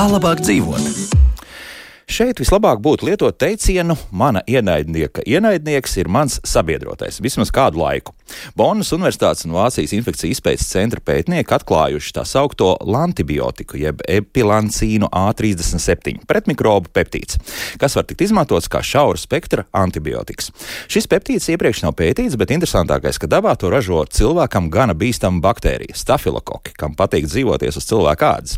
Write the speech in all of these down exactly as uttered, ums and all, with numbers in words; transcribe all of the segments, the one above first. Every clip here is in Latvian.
labāk dzīvot? Šeit vislabāk būtu lietot teicienu: mana ienaidnieka ienaidnieks ir mans sabiedrotais vismaz kādu laiku. Bonnas Universitātes un Vācijas infekciju izpētes centra pētnieki atklājuši tā saukto lantibiotiku, jeb epilancīnu A trīsdesmit septiņi pretmikrobu peptīds, kas var tikt izmantots kā šaura spektra antibiotikas. Šis peptīds iepriekš nav pētīts, bet interesantākais, ka dabā to ražo cilvēkam gana bīstama baktērija - stafilokoki, kam patīk dzīvoties uz cilvēka ādas.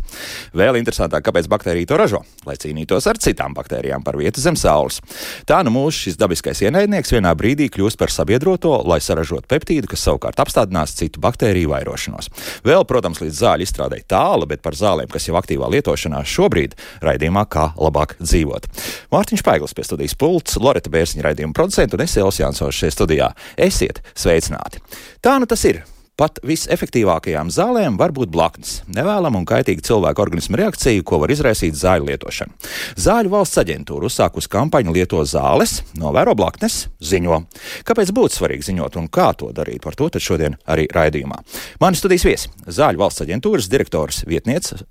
Vēl interesantāk, kāpēc baktērija to ražo, lai cīnītos ar citām baktērijām par vietu zem saules. Tā nu mūsu šis dabiskais ienaidnieks vienā brīdī kļūst par sabiedroto, lai saražotu peptīdu, kas savukārt apstādinās citu baktēriju vairošanos. Vēl, protams, līdz zāļu izstrādei tālu, bet par zālēm, kas jau aktīvā lietošanā šobrīd, raidījumā Kā labāk dzīvot. Mārtiņš Paiglis pie studijas pults, Loreta Bērziņa raidījuma producenta un es Elvis Jansons šeit studijā. Esiet sveicināti! Tā nu tas ir. Pat visefektīvākajām zālēm var būt blaknes, nevēlama un kaitīga cilvēka organisma reakcija, ko var izraisīt zāļu lietošana. Zāļu valsts aģentūra uzsākusi kampaņu Lieto zāles, novēro blaknes, ziņo. Kāpēc būtu svarīgi ziņot un kā to darīt? Par to tad šodien arī raidījumā. Mani studijas viesi - Zāļu valsts aģentūras direktors vietniece.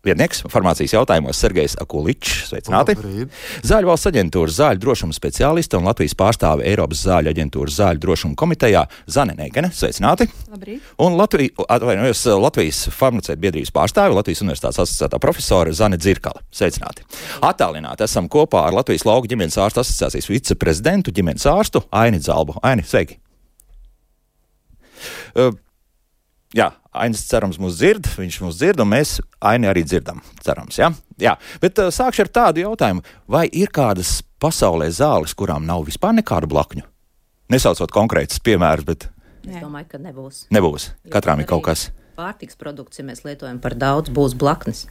Vietnieks farmācijas jautājumos Sergejs Akuličs, sveicināti. Labrīt. Zāļu valsts aģentūras zāļu drošuma speciāliste un Latvijas pārstāve Eiropas zāļu aģentūras zāļu drošuma komitejā Zane Neigene, sveicināti. Labrīt. Un Latvijas, atvainojos, Latvijas farmaceitu biedrības pārstāve, Latvijas Universitātes asociētā profesore Zane Dzirkale, sveicināti. Attālināti esam kopā ar Latvijas lauku ģimenes ārstu asociācijas viceprezidentu ģimenes ārstu Aini Zalbu. Aini, sveiki! Uh, Jā, Ainis cerams mūs dzird, viņš mūs dzird, un mēs Aini arī dzirdam, cerams, jā? Jā, bet uh, sākšu ar tādu jautājumu, vai ir kādas pasaulē zāles, kurām nav vispār nekādu blakņu? Nesaucot konkrētus piemērus, bet... Es domāju, ka nebūs. Nebūs, katrām ir kaut kas. Pārtiks produkts, ja mēs lietojam par daudz, būs blaknes.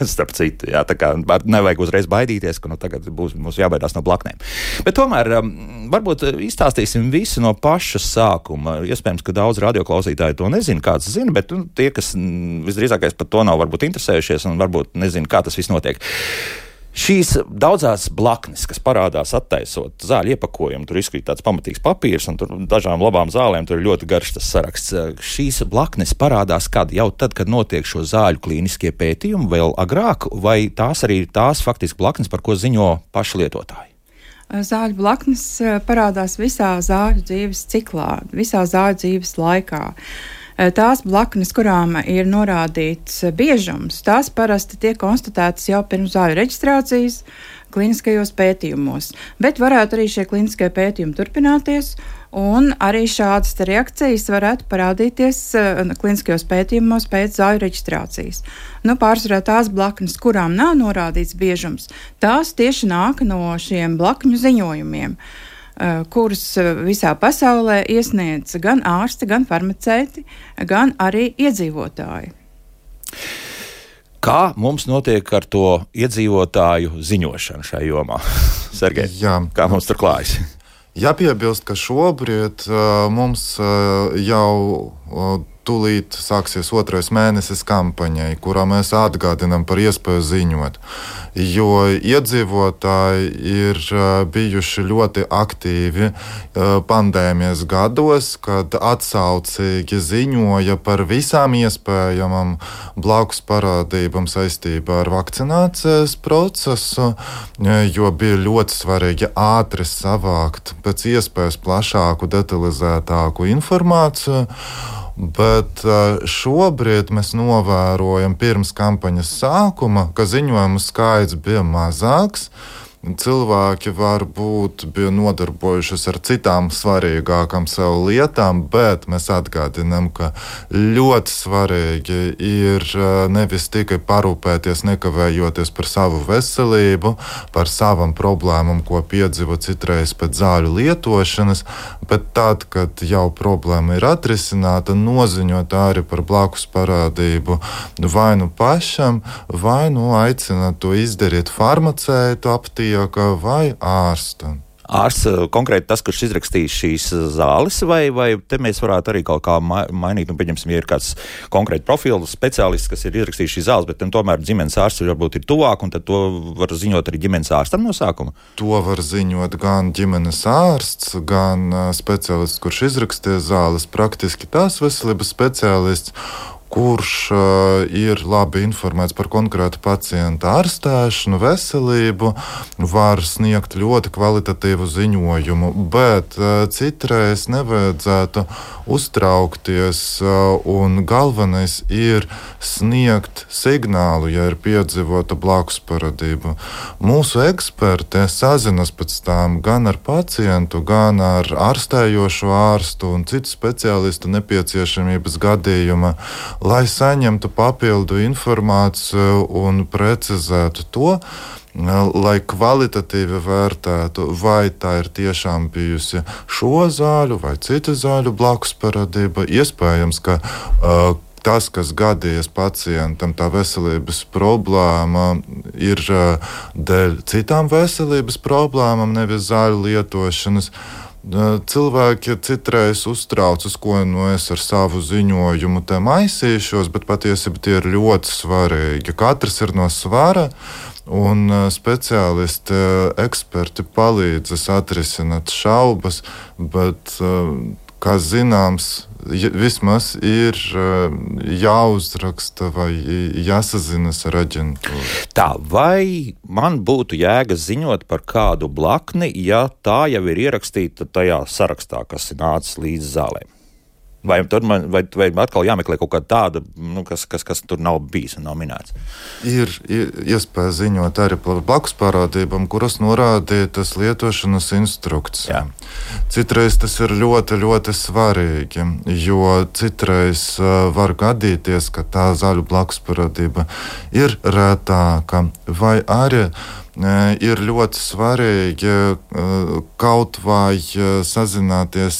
Starp citu, jā, tā kā nevajag uzreiz baidīties, ka nu, tagad būs mums jābaidās no blaknēm. Bet tomēr um, varbūt izstāstīsim visu no paša sākuma. Iespējams, ka daudz radioklausītāji to nezina, kāds zina, bet nu, tie, kas m, visdrīzākais par to nav varbūt interesējušies un varbūt nezina, kā tas viss notiek. Šīs daudzās blaknes, kas parādās attaisot zāļu iepakojumu, tur izkrīt tāds pamatīgs papīrs, un tur dažām labām zālēm tur ir ļoti garš tas saraksts. Šīs blaknes parādās kad? Jau tad, kad notiek šo zāļu klīniskie pētījumi, vēl agrāk, vai tās arī ir tās faktiski blaknes, par ko ziņo paši lietotāji? Zāļu blaknes parādās visā zāļu dzīves ciklā, visā zāļu dzīves laikā. Tās blaknes, kurām ir norādīts biežums, tās parasti tiek konstatētas jau pirms zāļu reģistrācijas kliniskajos pētījumos, bet varētu arī šie kliniskie pētījumi turpināties, un arī šādas reakcijas varētu parādīties kliniskajos pētījumos pēc zāļu reģistrācijas. Nu, pārsvarā tās blaknes, kurām nav norādīts biežums, tās tieši nāk no šiem blakņu ziņojumiem, kurus visā pasaulē iesniedz gan ārsti, gan farmaceiti, gan arī iedzīvotāji. Kā mums notiek ar to iedzīvotāju ziņošanu šajā jomā? Sergej, Jā. Kā mums tur klājas? Jāpiebilst, ka šobrīd uh, mums uh, jau uh, tūlīt sāksies otrais mēnesis kampaņai, kurā mēs atgādinām par iespēju ziņot. Jo iedzīvotāji ir uh, bijuši ļoti aktīvi uh, pandēmijas gados, kad atsaucīgi ziņoja par visām iespējamām blakus parādībām saistībā ar vakcinācijas procesu, jo bija ļoti svarīgi ātri savākt pēc iespējas plašāku, detalizētāku informāciju. Bet šobrīd mēs novērojam pirms kampaņas sākuma, ka ziņojumu skaits bija mazāks. Cilvēki varbūt bija nodarbojušies ar citām svarīgākām sev lietām, bet mēs atgādinām, ka ļoti svarīgi ir nevis tikai parūpēties, nekavējoties par savu veselību, par savām problēmām, ko piedzīvo citreiz pēc zāļu lietošanas, bet tad, kad jau problēma ir atrisināta, noziņot arī par blakus parādību vai nu pašam, vai nu aicināt to izdarīt farmaceitu aptīk vai ārstam. Ārsts konkrēti tas, kurš izrakstīs šīs zāles, vai, vai te mēs varētu arī kaut kā mainīt, nu, pieņemsim, ja ir kāds konkrēti profilu speciālists, kas ir izrakstījis šīs zāles, bet tomēr ģimenes ārsts varbūt ir tuvāk, un tad to var ziņot arī ģimenes ārstam no sākuma? To var ziņot gan ģimenes ārsts, gan speciālists, kurš izrakstīja zāles, praktiski tās veselības speciālists, kurš uh, ir labi informēts par konkrētu pacienta ārstēšanu, veselību, var sniegt ļoti kvalitatīvu ziņojumu, bet uh, citreiz nevajadzētu uztraukties, uh, un galvenais ir sniegt signālu, ja ir piedzīvota blakus parādība. Mūsu eksperti sazinas pēc tam gan ar pacientu, gan ar ārstējošo ārstu un citu speciālistu nepieciešamības gadījuma, lai saņemtu papildu informāciju un precizētu to, lai kvalitatīvi vērtētu, vai tā ir tiešām bijusi šo zāļu vai citu zāļu blakus parādība. Iespējams, ka uh, tas, kas gadījies pacientam, tā veselības problēma ir uh, dēļ citām veselības problēmām, nevis zāļu lietošanas. Cilvēki citreiz uztraucas, ko nu es ar savu ziņojumu te maisīšos, bet patiesībā tie ir ļoti svarīgi. Katrs ir no svara, un speciālisti, eksperti palīdzas atrisināt šaubas, bet, kā zināms, vismaz ir jāuzraksta vai jāsazinas ar aģentūru. Tā, vai man būtu jēga ziņot par kādu blakni, ja tā jau ir ierakstīta tajā sarakstā, kas ir nācis līdz zālēm? Vai, man, vai, vai atkal jāmeklē kaut kāda tāda, nu, kas, kas, kas tur nav bijis un nav minēts? Ir, ir iespēja ziņot arī par blakus parādībām, kuras norādītas lietošanas instrukcijā. Citreiz tas ir ļoti, ļoti svarīgi, jo citreiz uh, var gadīties, ka tā zāļu blakus parādība ir rētāka, vai arī ir ļoti svarīgi kaut vai sazināties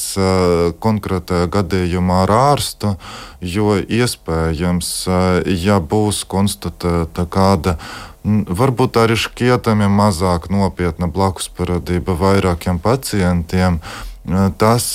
konkrētajā gadījumā ar ārstu, jo iespējams, ja būs konstatēta kāda varbūt arī šķietami mazāk nopietna blakus parādība vairākiem pacientiem, tas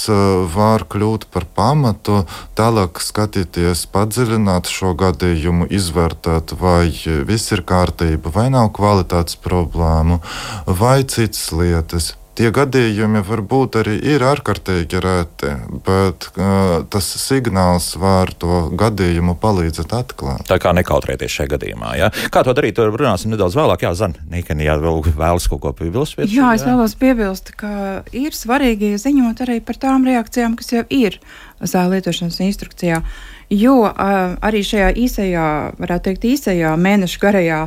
var kļūt par pamatu tālāk skatīties, padziļināt šo gadījumu, izvērtēt, vai viss ir kārtība, vai nav kvalitātes problēmu, vai citas lietas. Tie gadījumi varbūt arī ir ārkārtīgi reti, bet uh, tas signāls var to gadījumu palīdzēt atklāt. Tā kā nekautrēties šajā gadījumā, jā? Kā to darīt, runāsim nedaudz vēlāk. Jā, Zana, Nīkeni, jā, vēl vēlas kaut ko piebilst? Pēc, jā, es vēlos piebilst, ka ir svarīgi ziņot arī par tām reakcijām, kas jau ir zāļu lietošanas instrukcijā, jo uh, arī šajā īsajā, varētu teikt, īsajā mēnešu garajā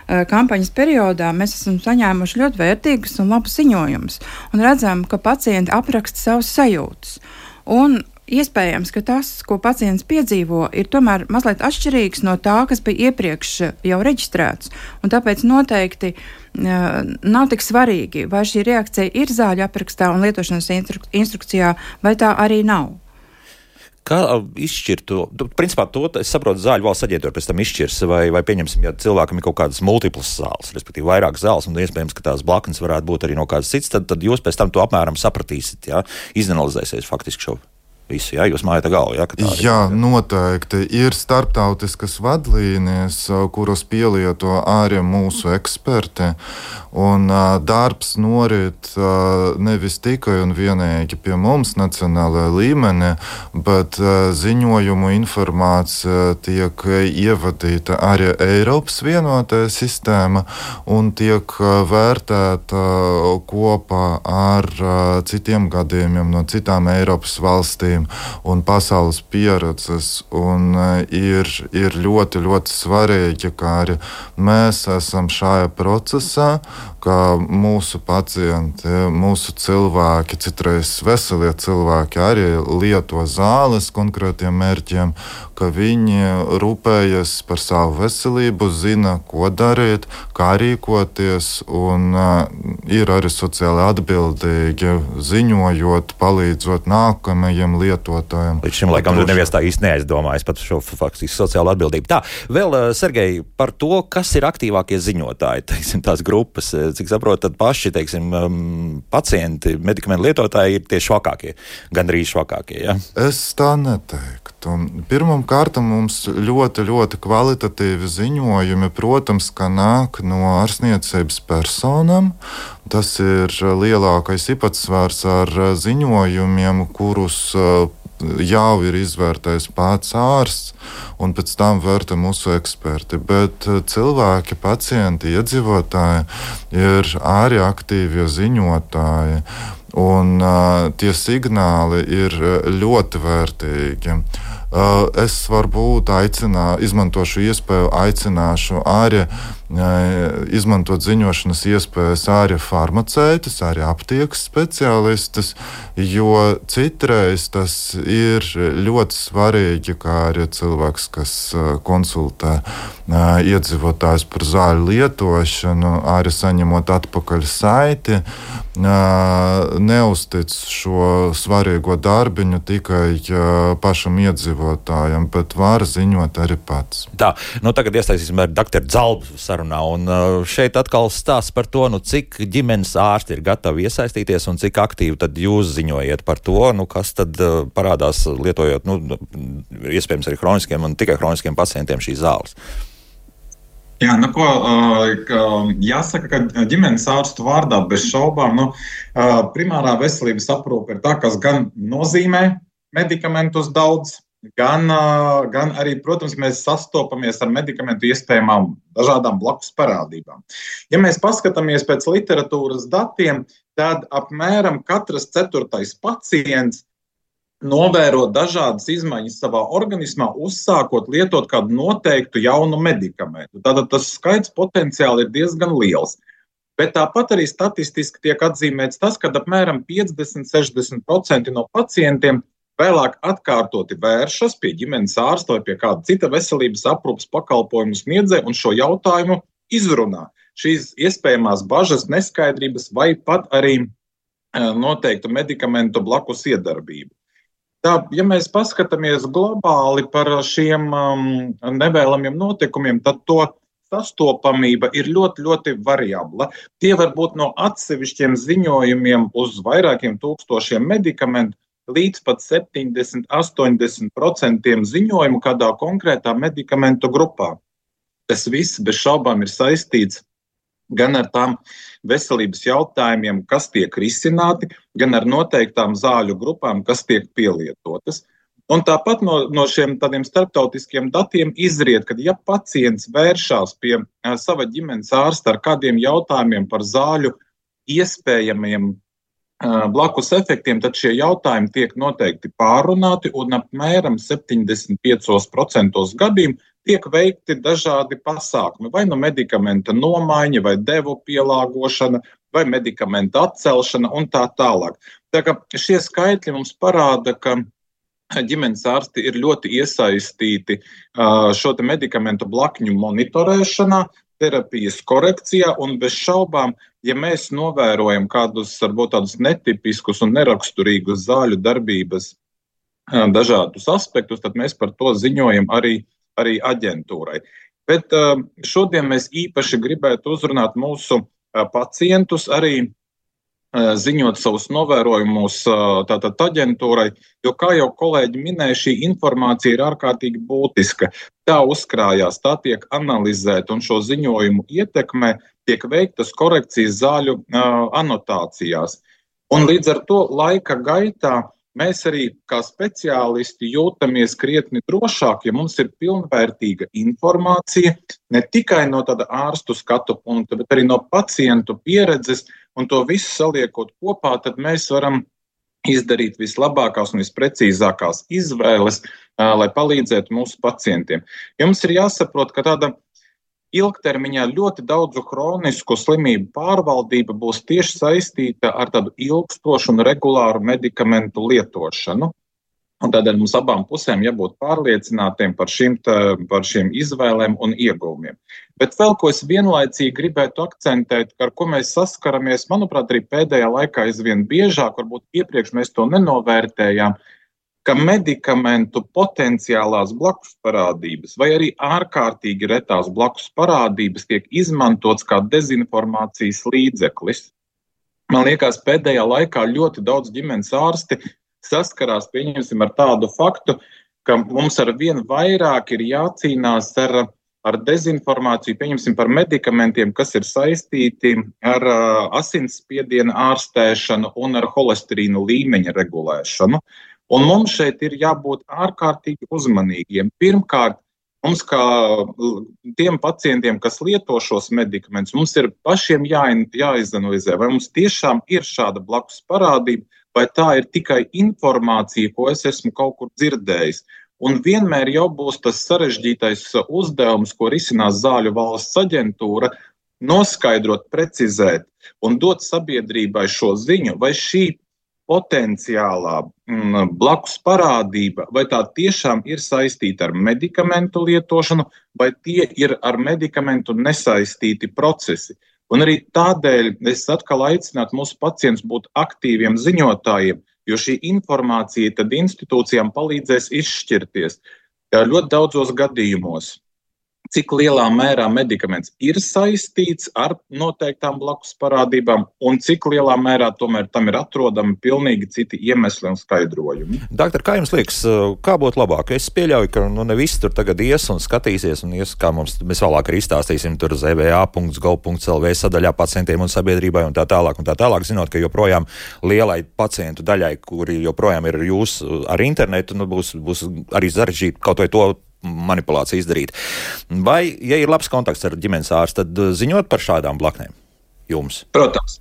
kampaņas periodā mēs esam saņēmuši ļoti vērtīgus un labus ziņojumus un redzam, ka pacienti apraksta savus sajūtas. Un iespējams, ka tas, ko pacients piedzīvo, ir tomēr mazliet atšķirīgs no tā, kas bija iepriekš jau reģistrēts. Un tāpēc noteikti uh, nav tik svarīgi, vai šī reakcija ir zāļu aprakstā un lietošanas instru- instrukcijā, vai tā arī nav. Kā izšķirt to? Principā to, es saprotu, zāļu valsts aģentūra pēc tam izšķirs, vai, vai pieņemsim, ja cilvēkam ir kaut kādas multiplas zāles, respektīvi vairāk zāles, un iespējams, ka tās blaknes varētu būt arī no kādas citas, tad, tad jūs pēc tam to apmēram sapratīsiet, jā, izanalizēsiet faktiski šo visu, jā, jūs mājat galvu, jā? Jā, noteikti. Ir starptautiskas vadlīnijas, kuras pielieto arī mūsu eksperti, un uh, darbs norit uh, nevis tikai un vienīgi pie mums nacionālajā līmenī, bet uh, ziņojumu informācija tiek ievadīta arī Eiropas vienotajā sistēma un tiek uh, vērtēta uh, kopā ar uh, citiem gadījumiem no citām Eiropas valstīm un pasaules pieredzes, un uh, ir, ir ļoti, ļoti svarīgi, ka arī mēs esam šajā procesā, ka mūsu pacienti, mūsu cilvēki, citreiz veselie cilvēki arī lieto zāles konkrētiem mērķiem, ka viņi rūpējas par savu veselību, zina, ko darīt, kā rīkoties, un uh, ir arī sociāli atbildīgi, ziņojot, palīdzot nākamajiem lietotājiem. Līdz šim laikam neviens tā īsti neaizdomājas par šo faktiski sociālo atbildību. Tā, vēl, Sergej, par to, kas ir aktīvākie ziņotāji, teiksim, tās grupas, cik saprotu, tad paši, teiksim, pacienti, medikamentu lietotāji ir tie švakākie, gandrīz švakākie, jā? Es tā neteiktu. Pirmam kārtam mums ļoti, ļoti kvalitatīvi ziņojumi, protams, ka nāk no ārstniecības personām. Tas ir lielākais īpatsvars ar ziņojumiem, kurus jau ir izvērtējis pats ārsts, un pēc tam vērtē mūsu eksperti. Bet cilvēki, pacienti, iedzīvotāji ir arī aktīvie ziņotāji, un uh, tie signāli ir ļoti vērtīgi. Uh, es varbūt aicinā, izmantošu iespēju, aicināšu arī izmantot ziņošanas iespējas arī farmaceitus, arī aptiekas speciālistus, jo citreiz tas ir ļoti svarīgi, kā arī cilvēks, kas konsultē iedzīvotājus par zāļu lietošanu, arī saņemot atpakaļ saiti, neuztic šo svarīgo darbiņu tikai pašam iedzīvotājam, bet var ziņot arī pats. Tā, nu tagad iesaistīsim ar doktoru Zalbu sarunā, un šeit atkal stāsts par to, nu cik ģimenes ārsti ir gatavi iesaistīties un cik aktīvi tad jūs ziņojiet par to, nu kas tad parādās lietojot, nu iespējams arī hroniskiem un tikai hroniskiem pacientiem šīs zāles. Jā, nu ko, jāsaka, ka ģimenes ārstu vārdā bez šaubām, nu, primārā veselības aprūpe ir tā, kas gan nozīmē medikamentus daudz, gan, gan arī, protams, mēs sastopamies ar medikamentu iespējamām dažādām blakus parādībām. Ja mēs paskatāmies pēc literatūras datiem, tad apmēram katrs ceturtais pacients novēro dažādas izmaiņas savā organismā, uzsākot lietot kādu noteiktu jaunu medikamentu. Tātad tas skaits potenciāli ir diezgan liels. Bet tāpat arī statistiski tiek atzīmēts tas, ka apmēram piecdesmit līdz sešdesmit procenti no pacientiem vēlāk atkārtoti vēršas pie ģimenes ārsta vai pie kāda cita veselības aprūpes pakalpojumu sniedzēja un šo jautājumu izrunā. Šīs iespējamās bažas, neskaidrības vai pat arī noteiktu medikamentu blakus iedarbību. Tā, ja mēs paskatāmies globāli par šiem um, nevēlamiem notikumiem, tad to sastopamība ir ļoti, ļoti variabla. Tie var būt no atsevišķiem ziņojumiem uz vairākiem tūkstošiem medikamentu līdz pat septiņdesmit līdz astoņdesmit procentiem ziņojumu kādā konkrētā medikamentu grupā. Tas viss bez šaubām ir saistīts gan ar tām veselības jautājumiem, kas tiek risināti, gan ar noteiktām zāļu grupām, kas tiek pielietotas. Un tāpat no, no šiem tādiem starptautiskiem datiem izriet, ka ja pacients vēršās pie uh, sava ģimenes ārsta ar kādiem jautājumiem par zāļu iespējamiem uh, blakus efektiem, tad šie jautājumi tiek noteikti pārunāti un apmēram septiņdesmit piecos procentos gadījumu tiek veikti dažādi pasākumi, vai no medikamenta nomaiņa, vai devu pielāgošana, vai medikamenta atcelšana un tā tālāk. Tā kā šie skaitļi mums parāda, ka ģimenes ārsti ir ļoti iesaistīti šo te medikamentu blakņu monitorēšanā, terapijas korekcijā un bez šaubām, ja mēs novērojam kādus, varbūt tādus netipiskus un neraksturīgus zāļu darbības dažādus aspektus, tad mēs par to ziņojam arī arī aģentūrai. Bet uh, šodien mēs īpaši gribētu uzrunāt mūsu uh, pacientus, arī uh, ziņot savus novērojumus uh, tātad aģentūrai, jo, kā jau kolēģi minēja, šī informācija ir ārkārtīgi būtiska. Tā uzkrājās, tā tiek analizēta un šo ziņojumu ietekmē tiek veiktas korekcijas zāļu uh, anotācijās. Un līdz ar to laika gaitā mēs arī kā speciālisti jūtamies krietni drošāk, ja mums ir pilnvērtīga informācija ne tikai no tāda ārstu skatu punkta, bet arī no pacientu pieredzes, un to visu saliekot kopā, tad mēs varam izdarīt vislabākās un visprecīzākās izvēles, lai palīdzētu mūsu pacientiem. Jums ir jāsaprot, ka tāda ilgtermiņā ļoti daudzu hronisku slimību pārvaldība būs tieši saistīta ar tādu ilgstošu un regulāru medikamentu lietošanu. Un tādēļ mums abām pusēm jābūt pārliecinātiem par šīm, tā, par šīm izvēlēm un ieguvumiem. Bet vēl ko es vienlaicīgi gribētu akcentēt, ar ko mēs saskaramies, manuprāt, arī pēdējā laikā aizvien biežāk, varbūt iepriekš mēs to nenovērtējām, ka medikamentu potenciālās blakus parādības vai arī ārkārtīgi retās blakus parādības tiek izmantots kā dezinformācijas līdzeklis. Man liekas, pēdējā laikā ļoti daudz ģimenes ārsti saskarās, pieņemsim, ar tādu faktu, ka mums ar vien vairāk ir jācīnās ar, ar dezinformāciju, pieņemsim, par medikamentiem, kas ir saistīti ar uh, asinsspiediena ārstēšanu un ar holesterīnu līmeņa regulēšanu. Un mums šeit ir jābūt ārkārtīgi uzmanīgiem. Pirmkārt, mums kā tiem pacientiem, kas lieto šos medikamentus, mums ir pašiem jā, jāizanalizē, vai mums tiešām ir šāda blakus parādība, vai tā ir tikai informācija, ko es esmu kaut kur dzirdējis. Un vienmēr jau būs tas sarežģītais uzdevums, ko risinās Zāļu valsts aģentūra, noskaidrot, precizēt un dot sabiedrībai šo ziņu, vai šī potenciālā m, blakus parādība, vai tā tiešām ir saistīta ar medikamentu lietošanu, vai tie ir ar medikamentu nesaistīti procesi. Un arī tādēļ es atkal aicinātu mūsu pacientus būt aktīviem ziņotājiem, jo šī informācija tad institūcijām palīdzēs izšķirties ļoti daudzos gadījumos, cik lielā mērā medikaments ir saistīts ar noteiktām blakus parādībām un cik lielā mērā tomēr tam ir atrodami pilnīgi citi iemesli un skaidrojumi. Doktor, kā jums liekas, kā būtu labāk? Es pieļauju, ka nu, ne visi tur tagad ies un skatīsies, un ies, kā mums, mēs vēlāk arī izstāstīsim tur z v a punkts gov punkts l v sadaļā pacientiem un sabiedrībai un tā tālāk un tā tālāk, zinot, ka joprojām lielai pacientu daļai, kuri joprojām ir jūs ar internetu, nu, būs, būs arī sarežģīti kaut vai to manipulāciju izdarīt. Vai, ja ir labs kontakts ar ģimenes ārstu, tad ziņot par šādām blaknēm jums? Protams.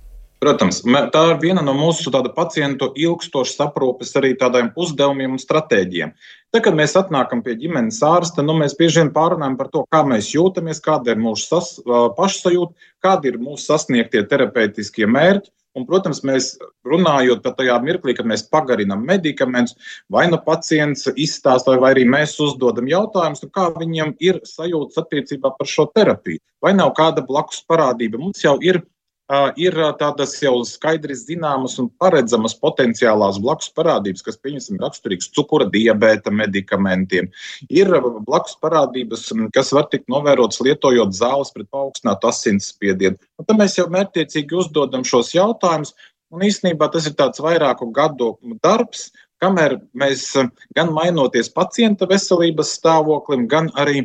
Protams, tā ir viena no mūsu tāda pacientu ilgstošas aprūpes arī tādiem uzdevumiem un stratēģiem. Tad, kad mēs atnākam pie ģimenes ārsta, nu, mēs bieži vien pārunājam par to, kā mēs jūtamies, kāda ir mūsu sas, pašsajūta, kādi ir mūsu sasniegtie terapeitiskie mērķi. Un, protams, mēs runājot par tajā mirklī, kad mēs pagarinam medikamentus, vai nu pacients izstāsta, vai arī mēs uzdodam jautājumus, kā viņam ir sajūtas attiecībā par šo terapiju. Vai nav kāda blakus parādība? Mums jau ir, uh, ir tādas jau skaidri zināmas un paredzamas potenciālās blakus parādības, kas, pieņemsim, raksturīgs cukura diabēta medikamentiem. Ir blakus parādības, kas var tikt novērotas lietojot zāles pret paaugstinātu asinsspiedienu. Un tad mēs jau mērķtiecīgi uzdodam šos jautājumus, un īstenībā tas ir tāds vairāku gadu darbs, kamēr mēs gan mainoties pacienta veselības stāvoklim, gan arī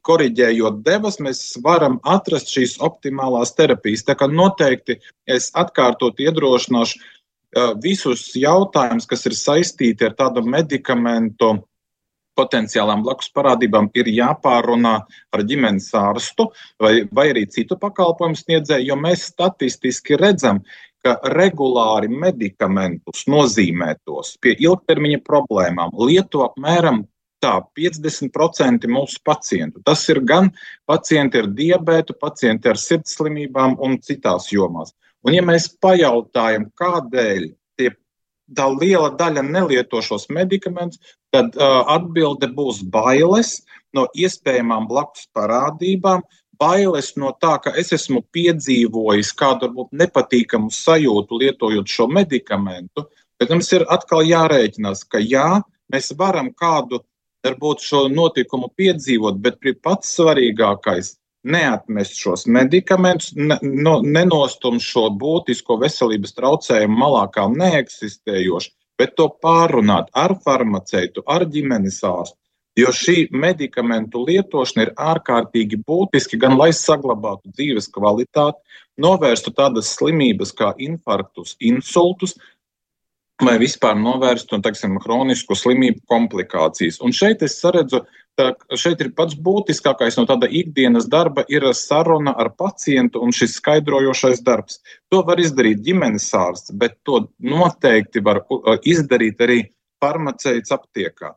koriģējot devas, mēs varam atrast šīs optimālās terapijas. Tā kā noteikti es atkārtot iedrošināšu visus jautājumus, kas ir saistīti ar tādu medikamentu potenciālām blakus parādībām, ir jāpārunā ar ģimenes ārstu vai, vai arī citu pakalpojumu sniedzēju, jo mēs statistiski redzam, ka regulāri medikamentus nozīmētos pie ilgtermiņa problēmām lieto apmēram tā piecdesmit procenti mūsu pacientu. Tas ir gan pacienti ar diabētu, pacienti ar sirdslimībām un citās jomās. Un ja mēs pajautājam, kādēļ tie tā liela daļa nelieto šos medikamentus, tad uh, atbilde būs bailes no iespējamām blakus parādībām, bailes no tā, ka es esmu piedzīvojis kādu varbūt nepatīkamu sajūtu lietojot šo medikamentu, bet mums ir atkal jārēķinās, ka jā, mēs varam kādu varbūt šo notikumu piedzīvot, bet pats svarīgākais neatmest šos medikamentus, ne, no, nenostum šo būtisko veselības traucējumu malā kā neeksistējošu, bet to pārunāt ar farmaceitu, ar ģimenes ārstu, jo šī medikamentu lietošana ir ārkārtīgi būtiski, gan lai saglabātu dzīves kvalitāti, novērstu tādas slimības kā infarktus, insultus, vai vispār novērstu, teiksim, hronisku slimību komplikācijas. Un šeit es saredzu, tā, šeit ir pats būtiskākais no tāda ikdienas darba ir saruna ar pacientu un šis skaidrojošais darbs. To var izdarīt ģimenes ārsts, bet to noteikti var izdarīt arī farmaceits aptiekā.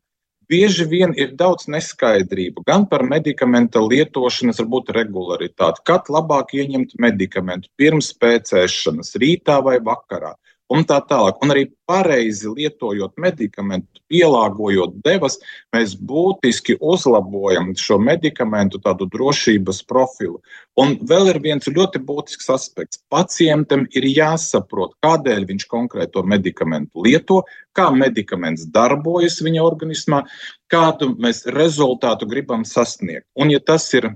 Bieži vien ir daudz neskaidrību, gan par medikamenta lietošanas varbūt regularitāti, kad labāk ieņemt medikamentu pirms pēc ēšanas, rītā vai vakarā. Un tā tālāk. Un arī pareizi lietojot medikamentu, pielāgojot devas, mēs būtiski uzlabojam šo medikamentu tādu drošības profilu. Un vēl ir viens ļoti būtisks aspekts. Pacientam ir jāsaprot, kādēļ viņš konkrēto medikamentu lieto, kā medikaments darbojas viņa organismā, kādu mēs rezultātu gribam sasniegt. Un ja tas ir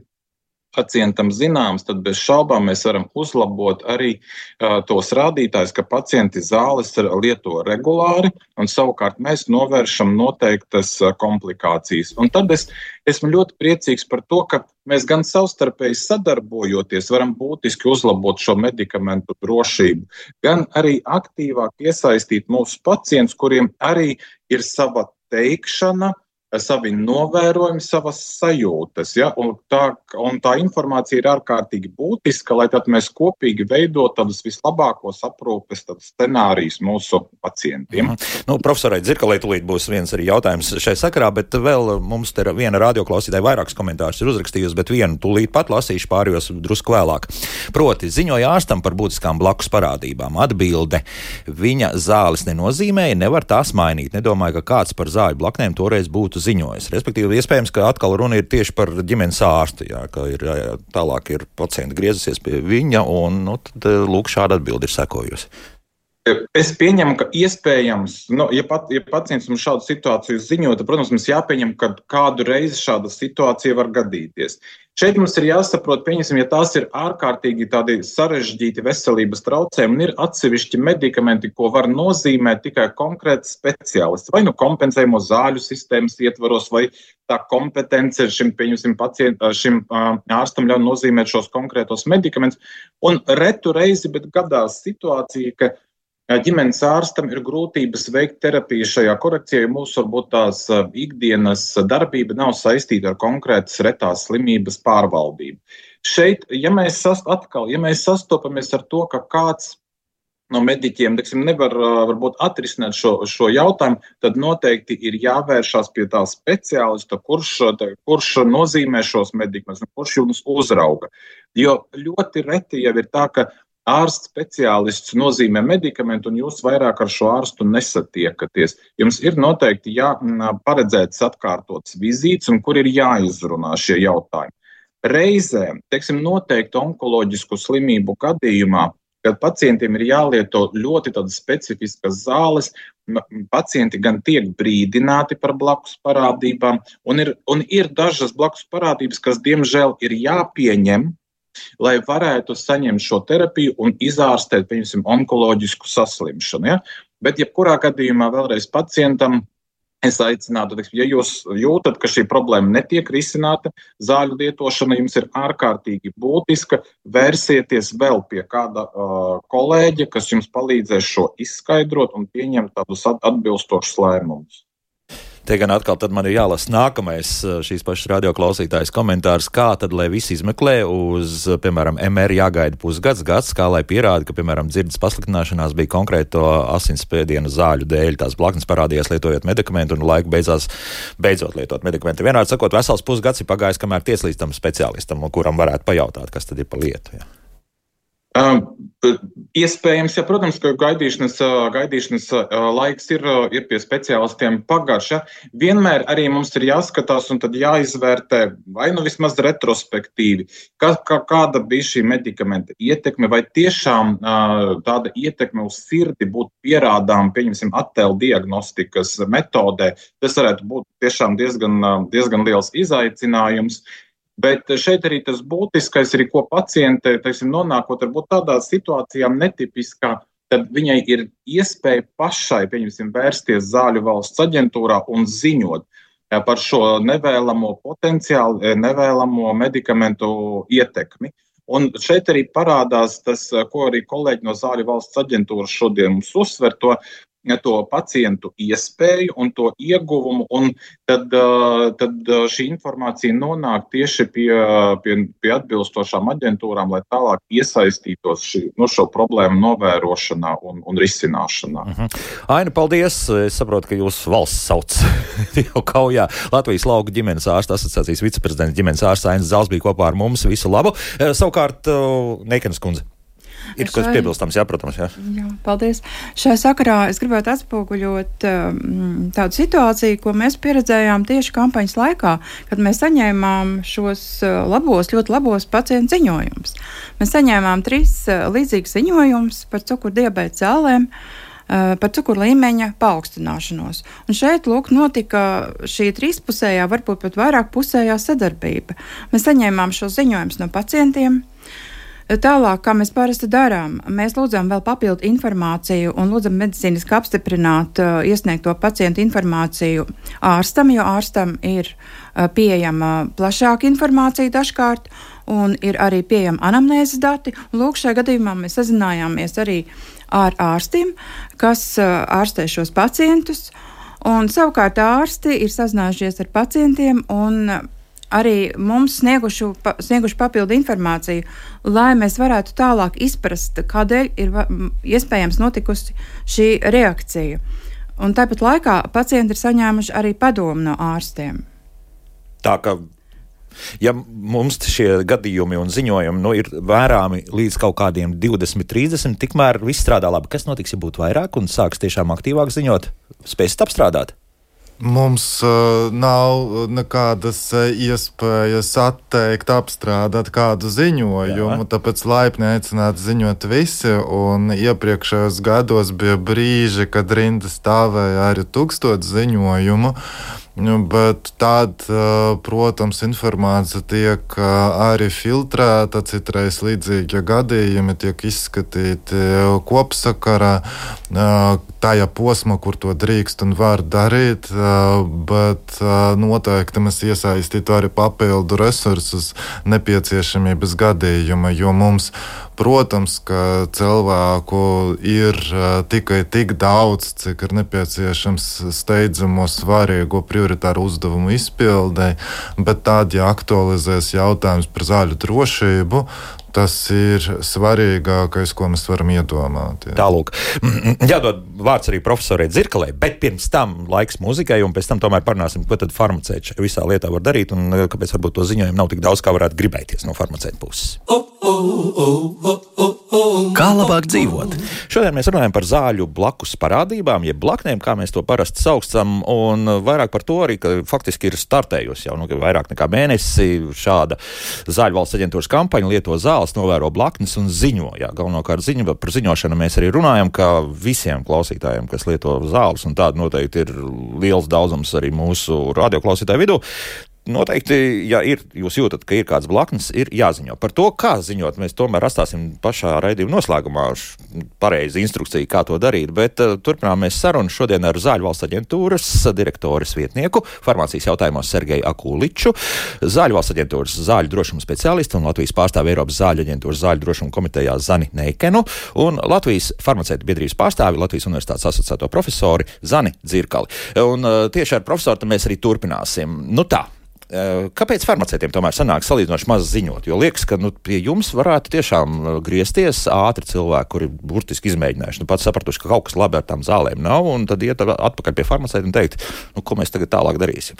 pacientam zināms, tad bez šaubām mēs varam uzlabot arī uh, tos rādītājus, ka pacienti zāles lieto regulāri, un savukārt mēs novēršam noteiktas uh, komplikācijas. Un tad es esmu ļoti priecīgs par to, ka mēs gan savstarpēji sadarbojoties varam būtiski uzlabot šo medikamentu drošību, gan arī aktīvāk iesaistīt mūsu pacientus, kuriem arī ir sava teikšana, savi novērojumi, savas sajūtas. Ja? Un, tā, un tā informācija ir ārkārtīgi būtiska, lai tad mēs kopīgi veidot tādus vislabākos aprūpes scenārijus mūsu pacientiem. Mm-hmm. Nu, profesorai Dzirkalei tūlīt būs viens arī jautājums šai sakarā, bet vēl mums te viena radioklausītāja vairākus komentārus ir uzrakstījusi, bet vienu tūlīt pat lasīšu, pārējos drusku vēlāk. Proti, ziņoja ārstam par būtiskām blakus parādībām. Atbilde: viņa zāles nenozīmēja, nevar tās mainīt. Nedomāju, ka kāds par zāļu blaknēm toreiz būtu ziņojas. Respektīvi, iespējams, ka atkal runa ir tieši par ģimenes ārstu, jā, ka ir, jā, tālāk ir pacienti griezusies pie viņa, un nu, tad, lūk, šāda atbilde ir sekojusi. Es pieņemu, ka iespējams, nu, ja, pat, ja pacients mums šādu situāciju ziņo, tad, protams, mums jāpieņem, ka kādu reizi šāda situācija var gadīties. Šeit mums ir jāsaprot, pieņemsim, ja tās ir ārkārtīgi tādi sarežģīti veselības traucējumi un ir atsevišķi medikamenti, ko var nozīmēt tikai konkrēts speciālists, vai nu kompensējumu zāļu sistēmas ietvaros, vai tā kompetence šim, pieņemsim, pacient, šim uh, ārstam ļauj nozīmēt šos konkrētos medikamentus. Un retu reizi, bet gadās situācija, ka ģimenes ārstam ir grūtības veikt terapiju šajā korekcijā, jo mūsu varbūt tās ikdienas darbība nav saistīta ar konkrētas retās slimības pārvaldību. Šeit, ja mēs, sast, atkal, ja mēs sastopamies ar to, ka kāds no mediķiem, teiksim, nevar varbūt atrisināt šo, šo jautājumu, tad noteikti ir jāvēršās pie tā speciālista, kurš, kurš nozīmē šos medikamentus, kurš jums uzrauga. Jo ļoti reti jau ir tā, ka ārsts speciālists nozīmē medikamentu, un jūs vairāk ar šo ārstu nesatiekaties. Jums ir noteikti jāparedzēts atkārtotas vizītes, un kur ir jāizrunā šie jautājumi. Reizēm, teiksim, noteikti onkoloģisku slimību gadījumā, kad pacientiem ir jālieto ļoti tādas specifiskas zāles, pacienti gan tiek brīdināti par blakus parādībām, un ir, un ir dažas blakus parādības, kas diemžēl ir jāpieņem, lai varētu saņemt šo terapiju un izārstēt, pieņemsim, onkoloģisku saslimšanu. Ja? Bet jebkurā gadījumā vēlreiz pacientam es aicinātu, ja jūs jūtat, ka šī problēma netiek risināta, zāļu lietošana jums ir ārkārtīgi būtiska, vērsieties vēl pie kāda uh, kolēģa, kas jums palīdzēs šo izskaidrot un pieņemt tādus atbilstošus lēmumus. Te gan atkal tad man ir jālasa nākamais šīs pašas radioklausītājas komentārs, kā tad, lai visi izmeklē uz, piemēram, M R jāgaida pusgads, gads, kā lai pierāda, ka, piemēram, dzirdes pasliktināšanās bija konkrēto asinsspiediena zāļu dēļ, tās blaknes parādījās lietojot medikamentu un laiku beidzās beidzot lietot medikamentu. Vienādi sakot, vesels pusgads ir pagājis, kamēr tiesa līdz tam speciālistam, kuram varētu pajautāt, kas tad ir pa lietu. Jā. Uh, iespējams, ja, protams, ka gaidīšanas, gaidīšanas laiks ir, ir pie speciālistiem pagarš. Ja. Vienmēr arī mums ir jāskatās un tad jāizvērtē, vai nu vismaz retrospektīvi, kā, kā, kāda bija šī medikamenta ietekme, vai tiešām uh, tāda ietekme uz sirdi būtu pierādām, pieņemsim, attēlu diagnostikas metodē. Tas varētu būt tiešām diezgan, diezgan liels izaicinājums. Bet šeit arī tas būtiskais, arī ko paciente, teiksim, nonākot varbūt tādā situācijā netipiskā, tad viņai ir iespēja pašai, pieņemsim, vērsties zāļu valsts aģentūrā un ziņot par šo nevēlamo potenciālu, nevēlamo medikamentu ietekmi. Un šeit arī parādās tas, ko arī kolēģi no zāļu valsts aģentūras šodien mums uzsver, to to pacientu iespēju un to ieguvumu, un tad, tad šī informācija nonāk tieši pie, pie, pie atbilstošām aģentūrām, lai tālāk iesaistītos šī, no šo problēmu novērošanā un, un risināšanā. Uh-huh. Aina, paldies! Es saprotu, ka jūs valsts sauc jau kaujā. Latvijas lauku ģimenes ārsta asociācijas viceprezidents ģimenes ārsts Ainis Zals bija kopā ar mums. Visu labu! Savukārt, Neikenes kundze. Ir kas piebilstams, jā, protams, jā. Jā, paldies. Šajā sakarā es gribētu atspoguļot um, tādu situāciju, ko mēs pieredzējām tieši kampaņas laikā, kad mēs saņēmām šos uh, labos, ļoti labos pacientu ziņojumus. Mēs saņēmām trīs uh, līdzīgas ziņojumus par cukuru diabēta zālēm. par cukuru līmeņa paaugstināšanos. Un šeit, lūk, notika šī trīspusējā, varbūt pat vairāk pusējā sadarbība. Mēs saņēmām šo ziņojumus no pacientiem. Tālāk, kā mēs parasti darām, mēs lūdzam vēl papildu informāciju un lūdzam medicīniski apstiprināt uh, iesniegto pacientu informāciju ārstam, jo ārstam ir uh, pieejama plašāka informācija dažkārt un ir arī pieejama anamnēzes dati. Un lūk, šajā gadījumā mēs sazinājāmies arī ar ārstiem, kas uh, ārstē šos pacientus, un savukārt ārsti ir sazinājušies ar pacientiem un uh, arī mums snieguši, pa, snieguši papildu informāciju, lai mēs varētu tālāk izprast, kādēļ ir iespējams notikusi šī reakcija. Un tāpat laikā pacienti ir saņēmuši arī padomu no ārstiem. Tā ka, ja mums šie gadījumi un ziņojumi nu, ir vērāmi līdz kaut kādiem divdesmit, trīsdesmit, tikmēr viss strādā labi. Kas notiks, ja būtu vairāk un sāks tiešām aktīvāk ziņot? Spēsit apstrādāt? Mums uh, nav nekādas iespējas atteikt, apstrādāt kādu ziņojumu, Jā. Tāpēc laipni aicināti ziņot visi, un iepriekšējos gados bija brīži, kad rinda stāvēja arī tūkstots ziņojumu, bet tad, protams, informācija tiek arī filtrēta, citreiz līdzīgi gadījumi tiek izskatīti kopsakarā, tajā posmā, kur to drīkst un var darīt, bet noteikti mēs iesaistītu arī papildu resursus nepieciešamības gadījuma, jo mums, protams, ka cilvēku ir tikai tik daudz, cik ir nepieciešams steidzamo svarīgo prioritāru uzdevumu izpildē, bet tad, ja aktualizēs jautājums par zāļu drošību, tas ir svarīgākais, ko mēs varam iedomāt. Jā. Tālūk. Jādod vārds arī profesorai Dzirkalei, bet pirms tam laiks muzikai, un pēc tam tomēr parunāsim, ko tad farmaceiti visā lietā var darīt, un kāpēc varbūt to ziņojumu nav tik daudz, kā varētu gribēties no farmaceita puses. Kā labāk dzīvot? Šodien mēs runājam par zāļu blakus parādībām, jeb blaknēm, kā mēs to parasti saucam, un vairāk par to arī, ka faktiski ir startējusi jau nu, vairāk nekā mēnesi šāda zāļu valsts aģentūras kampaņa Lieto zāles, novēro blaknes un ziņo. Jā, galvenokārt ziņo, par ziņošanu mēs arī runājam, ka visiem klausītājiem, kas lieto zāles, un tāda noteikti ir liels daudzums arī mūsu radioklausītāju vidū, noteikti, ja ir, jūs jūtat, ka ir kāds blaknes, ir jāziņo. Par to, kā ziņot, mēs tomēr atstāsim pašā raidījuma noslēgumā pareizi instrukciju, kā to darīt, bet uh, turpinām mēs sarunu šodien ar Zāļu valsts aģentūras direktores vietnieku, farmācijas jautājumos Sergeju Akuliču, Zāļu valsts aģentūras zāļu drošuma speciālistu un Latvijas pārstāvi Eiropas zāļu aģentūras zāļu drošuma komitejā Zani Neikenu un Latvijas farmaceitu biedrības pārstāvi Latvijas universitātes asociēto profesori Zani Dzirkali. Un uh, tieši ar profesoru mēs arī turpināsim. Nu tā. Kāpēc farmaceitiem tomēr sanāk salīdzinoši maz ziņot? Jo liekas, ka nu, pie jums varētu tiešām griezties ātri cilvēki, kuri burtiski izmēģinājuši. Nu, pats sapratuši, ka kaut kas labi ar tām zālēm nav, un tad iet atpakaļ pie farmaceita un teikt, nu, ko mēs tagad tālāk darīsim.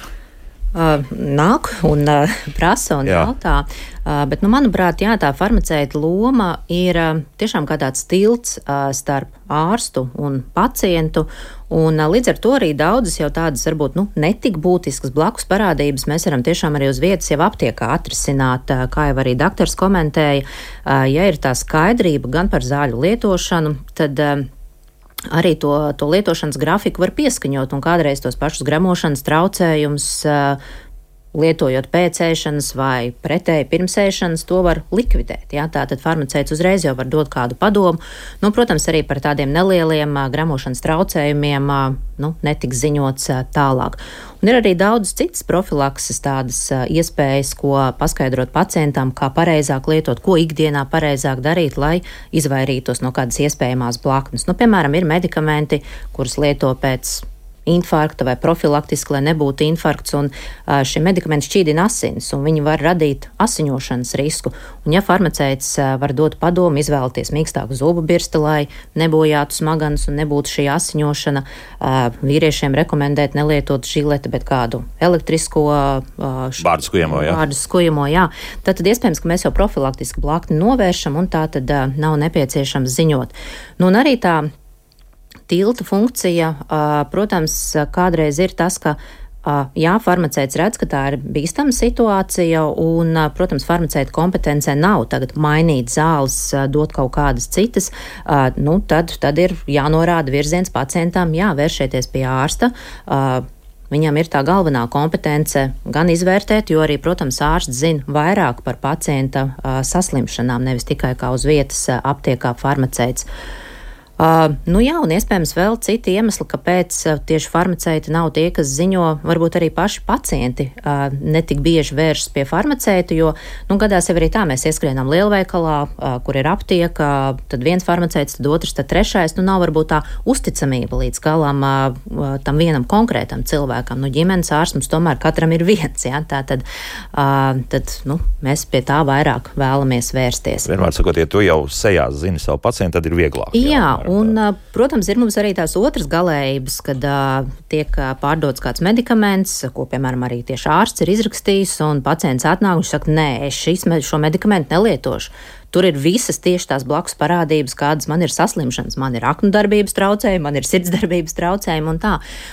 Uh, nāk un uh, prasa un jautā, uh, bet, nu, manuprāt, jā, tā farmaceita loma ir uh, tiešām kā tāds tilts uh, starp ārstu un pacientu, un uh, līdz ar to arī daudzas jau tādas, varbūt, nu, netik būtiskas blakus parādības mēs varam tiešām arī uz vietas jau aptiekā atrisināt, uh, kā jau arī daktors komentēja, uh, ja ir tā skaidrība gan par zāļu lietošanu, tad uh, arī to, to lietošanas grafiku var pieskaņot un kādreiz tos pašus gremošanas traucējumus, lietojot pēc ēšanas vai pretēji pirms ēšanas, to var likvidēt. Jā? Tātad farmaceits uzreiz jau var dot kādu padomu. Nu, protams, arī par tādiem nelieliem gremošanas traucējumiem nu, netiks ziņots tālāk. Un ir arī daudz citas profilakses tādas iespējas, ko paskaidrot pacientam, kā pareizāk lietot, ko ikdienā pareizāk darīt, lai izvairītos no kādas iespējamās blaknes. Nu, piemēram, ir medikamenti, kurus lieto pēc infarkta vai profilaktiski, lai nebūtu infarkts, un šie medikamenti šķīdina asinis, un viņi var radīt asiņošanas risku. Un ja farmaceits var dot padomu, izvēlēties mīkstāku zubu birsti, lai nebojātu smaganus un nebūtu šī asiņošana, vīriešiem rekomendēt nelietot žileti, bet kādu elektrisko vārdu skujamo, jā. Vārdu skujamo, jā. Tad, tad iespējams, ka mēs jau profilaktiski blakni novēršam, un tā tad nav nepieciešams ziņot. Nu, un arī tā tilta funkcija, protams, kādreiz ir tas, ka Jā, farmaceits redz, ka tā ir bīstama situācija, un, protams, farmaceita kompetencē nav tagad mainīt zāles, dot kaut kādas citas, nu, tad, tad ir jānorāda virziens pacientam, jā, vēršieties pie ārsta. Viņam ir tā galvenā kompetence gan izvērtēt, jo arī, protams, ārsts zina vairāk par pacienta saslimšanām, nevis tikai kā uz vietas aptiekā farmaceits. Uh, nu jā, un iespējams vēl citi iemesli, kāpēc uh, tieši farmaceiti nav tie, kas ziņo, varbūt arī paši pacienti uh, netik bieži vēršas pie farmaceita, jo, nu, gadās jau arī tā, mēs ieskrienam lielveikalā, uh, kur ir aptieka, tad viens farmaceits, tad otrs, tad trešais, nu, nav varbūt tā uzticamība līdz galam uh, tam vienam konkrētam cilvēkam. Nu, ģimenes ārsts mums tomēr katram ir viens, jā, tā tad, uh, tad, nu, mēs pie tā vairāk vēlamies vērsties. Vienmēr sakot, ja tu jau sejās zini savu pacientu, tad ir vieglāk. Jā, jā. Un, protams, ir mums arī tās otras galējības, kad uh, tiek pārdots kāds medikaments, ko, piemēram, arī tieši ārsts ir izrakstījis, un pacients atnāk un saka, nē, es šis, šo medikamentu nelietošu. Tur ir visas tieši tās blakus parādības, kādas man ir saslimšanas. Man ir aknu darbības traucējumi, man ir sirdsdarbības traucējumi un tā.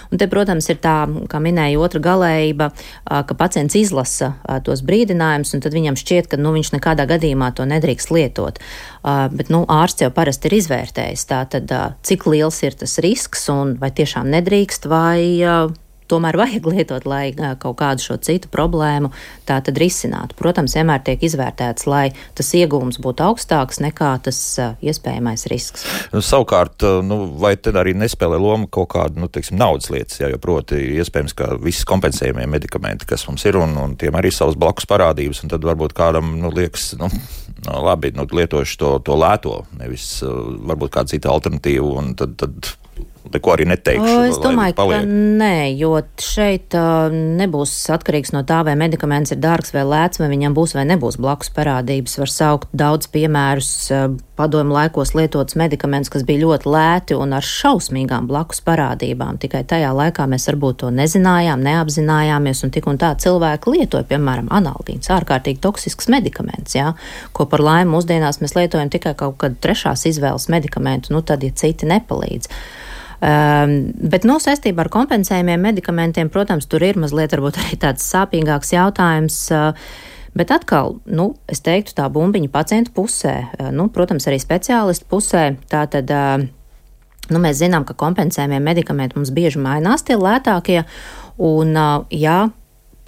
Un te, protams, ir tā, kā minēja otra galējība, ka pacients izlasa tos brīdinājumus, un tad viņam šķiet, ka nu, viņš nekādā gadījumā to nedrīkst lietot. Bet nu, ārsts jau parasti ir izvērtējis. Tātad, cik liels ir tas risks un vai tiešām nedrīkst, vai tomēr vajag lietot, lai kaut kādu šo citu problēmu tā tad risinātu. Protams, vienmēr tiek izvērtēts, lai tas iegūms būtu augstāks nekā tas iespējamais risks. Nu, savukārt, nu, vai tad arī nespēlē loma kaut kāda, nu, teiksim, naudas lietas, jā, jo proti iespējams, ka visi kompensējumie medikamenti, kas mums ir, un, un tiem arī savas blakus parādības, un tad varbūt kādam, nu, liekas, nu, nu labi, nu, lietošu to, to lēto, nevis varbūt kādu citu alternatīvu, un tad, tad neko arī neteikšu. O, es domāju, ka nē, jo šeit uh, nebūs atkarīgs no tā, vai medikaments ir dārgs vai lēts, vai viņam būs vai nebūs blakus parādības. Var saukt daudz piemērus uh, padomu laikos lietots medikaments, kas bija ļoti lēti un ar šausmīgām blakus parādībām. Tikai tajā laikā mēs varbūt to nezinājām, neapzinājāmies, un tik un tā cilvēki lietoja, piemēram, analgīns, ārkārtīgi toksisks medikaments, jā, ko par laimi mūsdienās mēs lietojam tikai kaut kad trešās izvēles medikamentu, nu tad, ja citi nepalīdz. Um, bet, nu, saistībā ar kompensējumiem medikamentiem, protams, tur ir mazliet varbūt arī tāds sāpīgāks jautājums, uh, bet atkal, nu, es teiktu tā bumbiņa pacientu pusē, uh, nu, protams, arī speciālistu pusē, tātad, uh, nu, mēs zinām, ka kompensējumie medikamenti mums bieži mainās tie lētākie, un, uh, jā,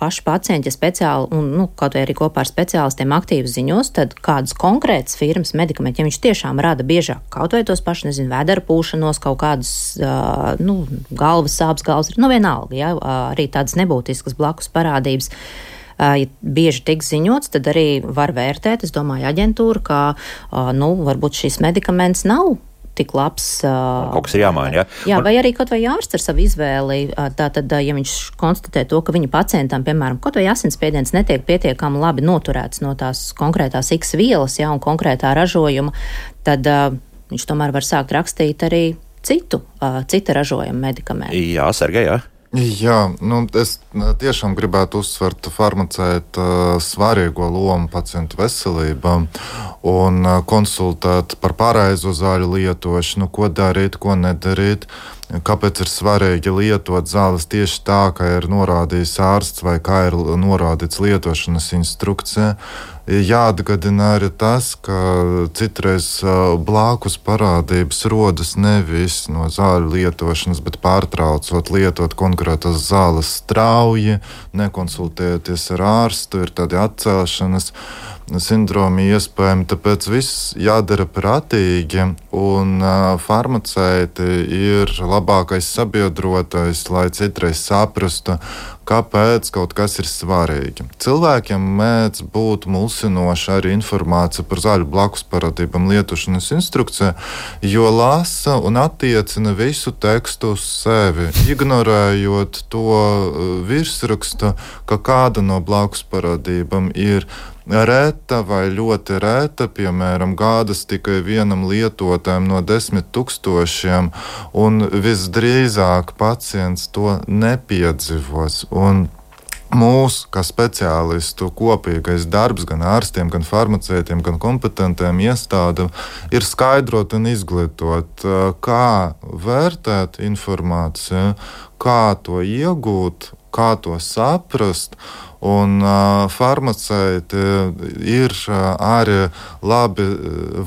paši pacienti, ja speciāli, un nu, kaut vai arī kopā ar speciālistiem aktīvi ziņos, tad kādas konkrētas firmas medikamenti, ja viņš tiešām rada biežāk kaut vai tos paši, nezinu, vēdera pūšanos, kaut kādas, uh, nu, galvas sāpes, galvas, nu, vienalga, ja, arī tādas nebūtiskas blakus parādības. Uh, ja bieži tiek ziņots, tad arī var vērtēt, es domāju, aģentūra, ka, uh, nu, varbūt šis medikaments nav tik labs. Kaut kas ir jāmaina, jā? Jā, vai arī kaut vai ārsts ar savu izvēli, tātad, ja viņš konstatē to, ka viņa pacientam, piemēram, kaut vai asinsspiediens netiek pietiekami labi noturēts no tās konkrētās X vielas, jā, un konkrētā ražojuma, tad uh, viņš tomēr var sākt rakstīt arī citu, uh, cita ražojuma medikamentu. Jā, Sergej, jā. Jā, nu, es tiešām gribētu uzsvert farmaceita svarīgo lomu pacientu veselībām un konsultēt par pareizo zāļu lietošanu, ko darīt, ko nedarīt. Kāpēc ir svarīgi lietot zāles tieši tā, kā ir norādījis ārsts vai kā ir norādīts lietošanas instrukcijā. Jāatgādina arī tas, ka citreiz blakus parādības rodas nevis no zāļu lietošanas, bet pārtraucot lietot konkrētas zāles strauji, nekonsultējoties ar ārstu, ir tādi atcelšanas sindromi iespējami, tāpēc viss jādara prātīgi, un uh, farmaceiti ir labākais sabiedrotais, lai citreiz saprastu, kāpēc kaut kas ir svarīgi. Cilvēkiem mēdz būt mulsinoša arī informācija par zāļu blakus parādībām lietošanas instrukcijā, jo lasa un attiecina visu tekstu uz sevi, ignorējot to virsrakstu, ka kāda no blakus parādībām ir reta vai ļoti reta, piemēram, gādas tikai vienam lietotājam no desmit tūkstošiem, un visdrīzāk pacients to nepiedzīvos. Un mūsu, kā speciālistu, kopīgais darbs gan ārstiem, gan farmaceitiem, gan kompetentiem iestādēm ir skaidrot un izglītot, kā vērtēt informāciju, kā to iegūt kā to saprast. Un uh, farmaceiti ir uh, arī labi,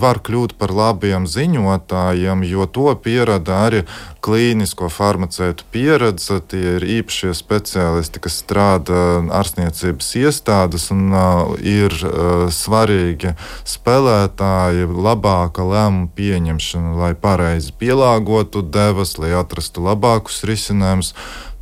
var kļūt par labiem ziņotājiem, jo to pierada arī klīnisko farmaceitu pieredze. Tie ir īpašie speciālisti, kas strādā ārstniecības iestādes un uh, ir uh, svarīgi spēlētāji, labāka lēmuma pieņemšana, lai pareizi pielāgotu devas, lai atrastu labākus risinājumus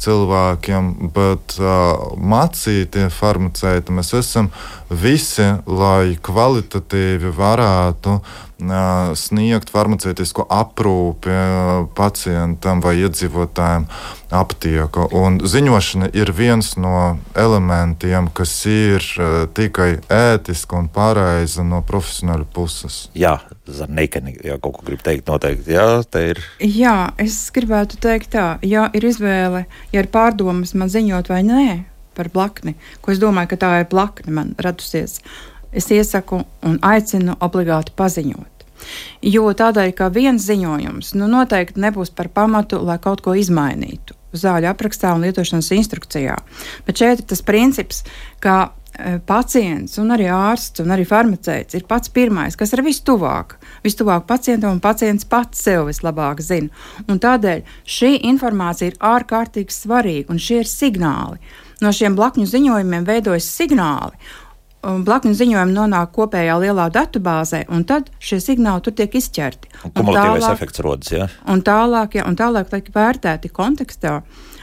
cilvēkiem, bet uh, mācītie farmaceiti mēs esam visi, lai kvalitatīvi varētu uh, sniegt farmaceitisko aprūpi uh, pacientam vai iedzīvotājiem aptieka. Un ziņošana ir viens no elementiem, kas ir uh, tikai ētiski un pareizi no profesionāļu puses. Jā, Zarneikeni, ja kaut ko grib teikt noteikti, jā, te ir. Jā, es gribētu teikt tā, ja ir izvēle, ja ir pārdomas man ziņot vai nē par blakni, ko es domāju, ka tā ir blakne man radusies, es iesaku un aicinu obligāti paziņot. Jo tādēļ, ka viens ziņojums, nu noteikti nebūs par pamatu, lai kaut ko izmainītu zāļu aprakstā un lietošanas instrukcijā. Bet šeit ir tas princips, ka pacients un arī ārsts un arī farmaceits ir pats pirmais, kas ir vistuvāk, vistuvāk pacientam, un pacients pats sev vislabāk zina. Un tādēļ šī informācija ir ārkārtīgi svarīga, un šie ir signāli. No šiem blakņu ziņojumiem veidojas signāli, un blakņu ziņojumi nonāk kopējā lielā datubāzē, un tad šie signāli tur tiek izķerti. Un kumulatīvais efekts rodas, jā? Un tālāk, ja, un tālāk tiek vērtēti kontekstā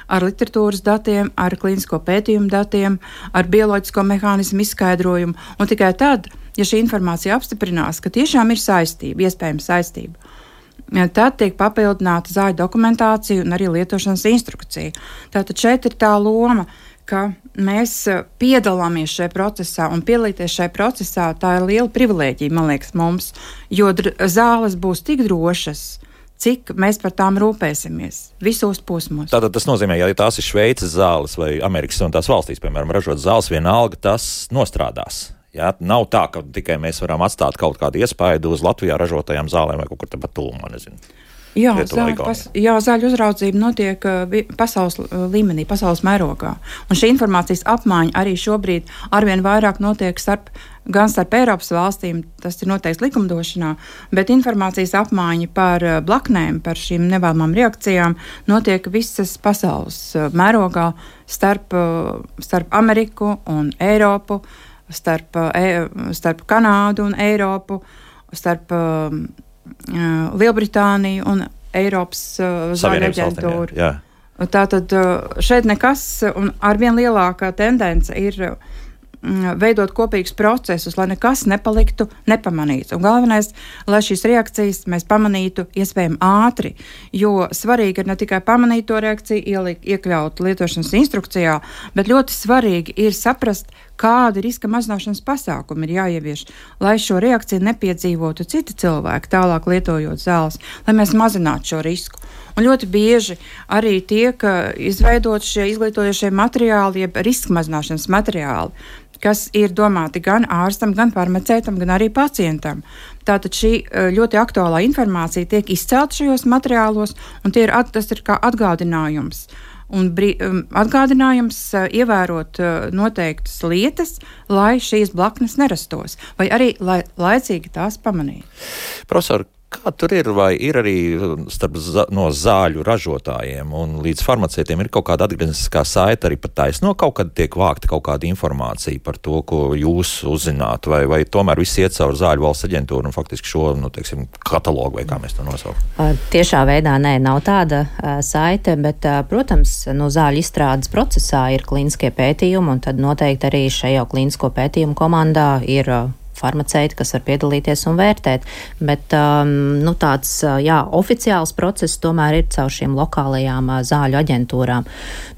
ar literatūras datiem, ar klīnisko pētījumu datiem, ar bioloģisko mehānismu izskaidrojumu, un tikai tad, ja šī informācija apstiprinās, ka tiešām ir saistība, iespējama saistība, tad tiek papildināta zāļu dokumentācija un arī lietošanas instrukcija. Tātad šeit ir tā loma, ka mēs piedalāmies šajā procesā, un piedalīties šajā procesā, tā ir liela privilēģija, man liekas, mums, jo dr- zāles būs tik drošas, cik mēs par tām rūpēsimies visos posmos. Tātad tas nozīmē, ja tās ir Šveices zāles vai Amerikas un tās valstīs, piemēram, ražot zāles, vienalga tas nostrādās. Jā, nav tā, ka tikai mēs varam atstāt kaut kādu iespaidu uz Latvijā ražotajām zālēm vai kaut kur tepat tūmā, nezinu. Jā, zāļu, pas, jā, zāļu uzraudzība notiek uh, pasaules uh, līmenī, pasaules mērogā. Un šī informācijas apmaiņa arī šobrīd arvien vairāk notiek starp, gan starp Eiropas valstīm, tas ir noteikts likumdošanā, bet informācijas apmaiņa par uh, blaknēm, par šīm nevēlamām reakcijām notiek visas pasaules uh, mērogā starp, uh, starp Ameriku un Eiropu, starp, uh, e, starp Kanādu un Eiropu, starp uh, Lielbritāniju un Eiropas uh, zāļu aģentūru. Jā, jā. Tātad uh, šeit nekas, un arvien lielākā tendence ir uh, veidot kopīgus procesus, lai nekas nepaliktu nepamanīts. Un galvenais, lai šīs reakcijas mēs pamanītu iespējami ātri, jo svarīgi ir ne tikai pamanīt to reakciju, ielikt, iekļaut lietošanas instrukcijā, bet ļoti svarīgi ir saprast, kādi riska mazināšanas pasākumi ir jāievieš, lai šo reakciju nepiedzīvotu citi cilvēki, tālāk lietojot zāles, lai mēs mazinātu šo risku. Un ļoti bieži arī tiek izveidot šie izglītojošie materiāli, jeb riska mazināšanas materiāli, kas ir domāti gan ārstam, gan farmaceitam, gan arī pacientam. Tātad šī ļoti aktuālā informācija tiek izcelta šajos materiālos, un tie ir, tas ir kā atgādinājums. Un brī, atgādinājums ievērot noteiktas lietas, lai šīs blaknes nerastos, vai arī lai laicīgi tās pamanītu. Profesor, kā tur ir, vai ir arī starp zā, no zāļu ražotājiem un līdz farmaceitiem ir kaut kāda atgriezniskā saite arī pat taisno, kaut kad tiek vākta kaut kāda informācija par to, ko jūs uzzināt, vai, vai tomēr viss iet caur zāļu valsts aģentūru un faktiski šo, nu, teiksim, katalogu, vai kā mēs to nosaucam? Tiešā veidā nē, nav tāda uh, saite, bet, uh, protams, no zāļu izstrādes procesā ir klīniskie pētījumi, un tad noteikti arī šajā klīnisko pētījumu komandā ir uh, farmaceiti, kas var piedalīties un vērtēt, bet um, nu, tāds jā, oficiāls process tomēr ir caur šīm lokālajām uh, zāļu aģentūrām.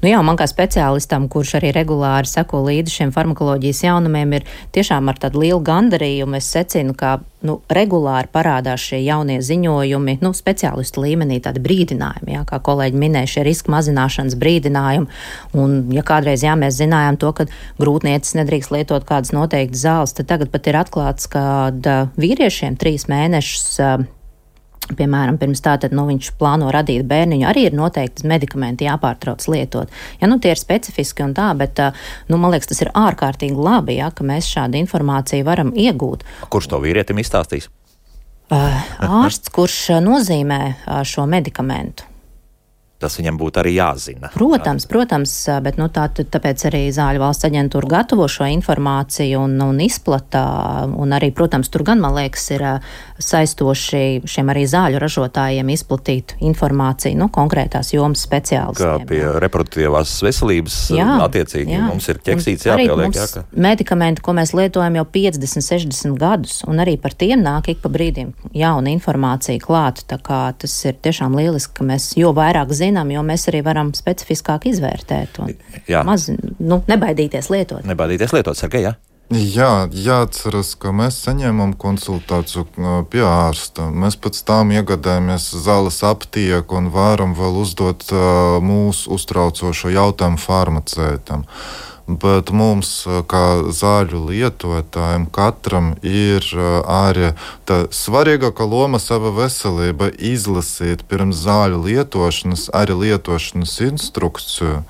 Nu jā, man kā speciālistam, kurš arī regulāri seko līdzi šiem farmakoloģijas jaunumiem, ir tiešām ar tādu lielu gandarījumu. Es secinu, ka nu, regulāri parādās šie jaunie ziņojumi, nu, speciālistu līmenī tādi brīdinājumi, jā, kā kolēģi minēja, šie riska mazināšanas brīdinājumi. Un, ja kādreiz, jā, mēs zinājām to, ka grūtniecis nedrīkst lietot kādas noteiktas zāles, tad tagad pat ir atklāts, ka vīriešiem trīs mēnešus piemēram, pirms tā, tad, nu, viņš plāno radīt bērniņu, arī ir noteikti medikamenti jāpārtrauc lietot. Ja, nu, tie ir specifiski un tā, bet, nu, man liekas, tas ir ārkārtīgi labi, ja, ka mēs šādu informāciju varam iegūt. Kurš to vīrietim izstāstīs? Ārsts, kurš nozīmē šo medikamentu. Tas viņam būtu arī jāzina. Protams, protams, bet nu, tā, tāpēc arī Zāļu valsts aģentūra gatavo šo informāciju un, un izplata, un arī, protams, tur gan, man liekas, ir saistoši šiem arī zāļu ražotājiem izplatīt informāciju, nu, konkrētās jomas speciālistiem. Kā pie reproduktīvās veselības jā, attiecīgi jā. Mums ir ķeksīts jāpieliek. Jā, ka... medikamenti, ko mēs lietojam jau piecdesmit, sešdesmit gadus, un arī par tiem nāk ik pa brīdim jauna informācija klāt, tā kā tas ir tiešām lieliski, ka mēs jo vairāk zinām, jo mēs arī varam specifiskāk izvērtēt un maz, nu, nebaidīties lietot. Nebaidīties lietot, Sergej, jā? Jā, jāatceras, ka mēs saņēmām konsultāciju pie ārsta. Mēs pēc tam iegādājamies zāles aptieku un varam vēl uzdot uh, mūsu uztraucošo jautājumu farmaceitam. Bet mums, kā zāļu lietotājiem, katram ir arī tā svarīgākā loma sava veselība izlasīt pirms zāļu lietošanas, arī lietošanas instrukciju.